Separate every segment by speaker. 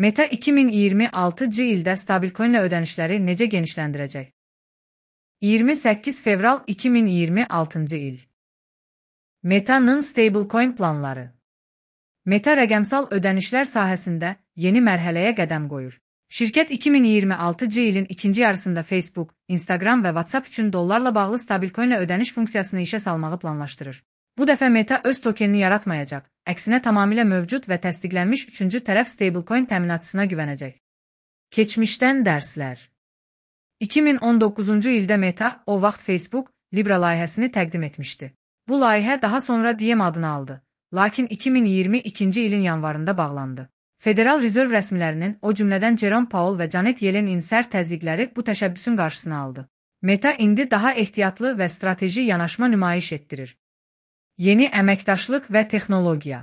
Speaker 1: Meta 2026-cı ildə stabilcoinlə ödənişləri necə genişləndirəcək? 28 fevral 2026-cı il. Meta'nın stablecoin planları. Meta rəqəmsal ödənişlər sahəsində yeni mərhələyə qədəm qoyur. Şirkət 2026-cı ilin ikinci yarısında Facebook, Instagram və WhatsApp üçün dollarla bağlı stabilcoinlə ödəniş funksiyasını işə salmağı planlaşdırır. Bu dəfə Meta öz tokenini yaratmayacaq, əksinə tamamilə mövcud və təsdiqlənmiş üçüncü tərəf stablecoin təminatçısına güvənəcək. Keçmişdən dərslər. 2019-cu ildə Meta, o vaxt Facebook, Libra layihəsini təqdim etmişdi. Bu layihə daha sonra Diem adını aldı, lakin 2022-ci ilin yanvarında bağlandı. Federal Rezerv rəsmilərinin, o cümlədən Jerome Powell və Janet Yellenin sərt təzyiqləri bu təşəbbüsün qarşısını aldı. Meta indi daha ehtiyatlı və strateji yanaşma nümayiş etdirir. Yeni əməkdaşlıq və texnologiya.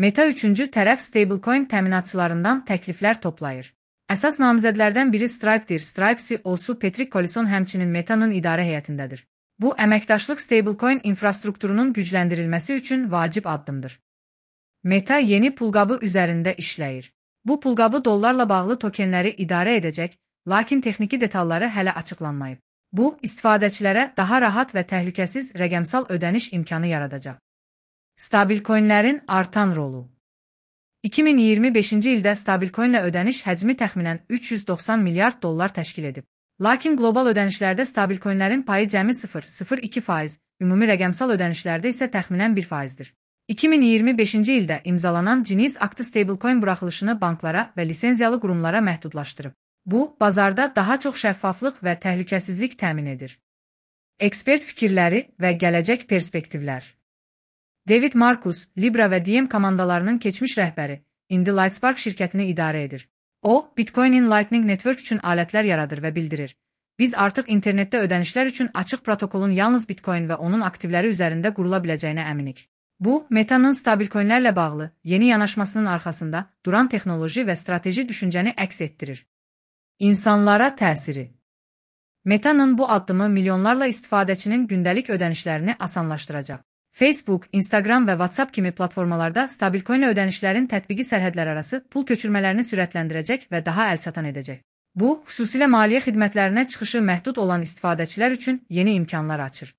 Speaker 1: Meta üçüncü tərəf stablecoin təminatçılarından təkliflər toplayır. Əsas namizədlərdən biri Stripe'dir. Stripe CEO-su Patrick Collison həmçinin Meta'nın idarə heyətindədir. Bu, əməkdaşlıq stablecoin infrastrukturunun gücləndirilməsi üçün vacib addımdır. Meta yeni pulqabı üzərində işləyir. Bu pulqabı dollarla bağlı tokenləri idarə edəcək, lakin texniki detalları hələ açıqlanmayıb. Bu, istifadəçilərə daha rahat və təhlükəsiz rəqəmsal ödəniş imkanı yaradacaq. Stabilcoinlərin artan rolu. 2025-ci ildə stabilcoinlə ödəniş həcmi təxminən 390 milyard dollar təşkil edib. Lakin qlobal ödənişlərdə stabilcoinlərin payı cəmi 0,02%, ümumi rəqəmsal ödənişlərdə isə təxminən 1%dir. 2025-ci ildə imzalanan Genius aktı stablecoin buraxılışını banklara və lisenziyalı qurumlara məhdudlaşdırıb. Bu, bazarda daha çox şəffaflıq və təhlükəsizlik təmin edir. Ekspert fikirləri və gələcək perspektivlər. David Marcus, Libra və Diem komandalarının keçmiş rəhbəri, indi Lightspark şirkətini idarə edir. O, Bitcoin'in Lightning Network üçün alətlər yaradır və bildirir. Biz artıq internetdə ödənişlər üçün açıq protokolun yalnız Bitcoin və onun aktivləri üzərində qurula biləcəyinə əminik. Bu, Meta'nın stabilcoinlərlə bağlı yeni yanaşmasının arxasında duran texnoloji və strateji düşüncəni əks etdirir. İnsanlara təsiri. Meta'nın bu addımı milyonlarla istifadəçinin gündəlik ödənişlərini asanlaşdıracaq. Facebook, Instagram və WhatsApp kimi platformalarda stabilcoinlə ödənişlərin tətbiqi sərhədlərarası pul köçürmələrini sürətləndirəcək və daha əlçatan edəcək. Bu, xüsusilə maliyyə xidmətlərinə çıxışı məhdud olan istifadəçilər üçün yeni imkanlar açır.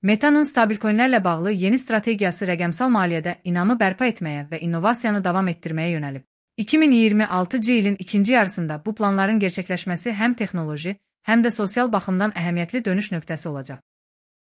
Speaker 1: Meta'nın stabilcoinlərlə bağlı yeni strategiyası rəqəmsal maliyyədə inamı bərpa etməyə və innovasiyanı davam etdirməyə yönəlib. 2026-cı ilin ikinci yarısında bu planların gerçəkləşməsi həm texnoloji, həm də sosial baxımdan əhəmiyyətli dönüş nöqtəsi olacaq.